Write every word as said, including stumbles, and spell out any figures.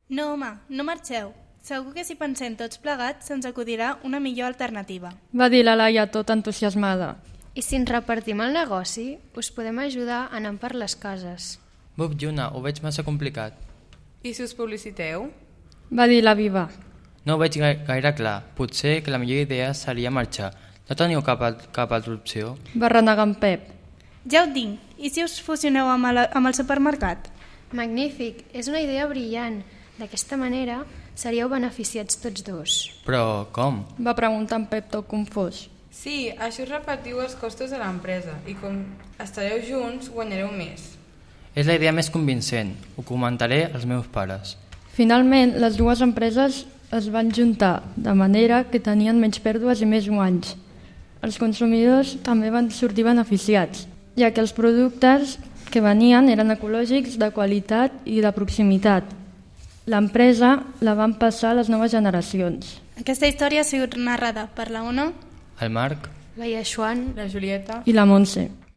No, home, no marxeu. Segur que si pensem tots plegats se'ns acudirà una millor alternativa. Va dir la Laia tot entusiasmada. I si ens repartim el negoci, us podem ajudar anant per les cases. Buf, Lluna, ho veig massa complicat. I si us publiciteu? Va dir la Viva. No ho veig gaire clar. Potser que la millor idea seria marxar. No teniu cap, cap altra opció? Va renegar en Pep. Ja ho tinc. I si us fusioneu amb el, amb el supermercat? Magnífic, és una idea brillant. D'aquesta manera seríeu beneficiats tots dos. Però com? Va preguntar en Pep tot confós. Sí, això us repartiu els costos de l'empresa i com estareu junts guanyareu més. És la idea més convincent. Ho comentaré als meus pares. Finalment, les dues empreses es van juntar, de manera que tenien menys pèrdues i més guanys. Els consumidors també van sortir beneficiats, ja que els productes que venien eren ecològics, de qualitat i de proximitat. L'empresa la van passar a les noves generacions. Aquesta història ha sigut narrada per la Ona, El Marc, La Iaxuan, La Julieta... I la Montse.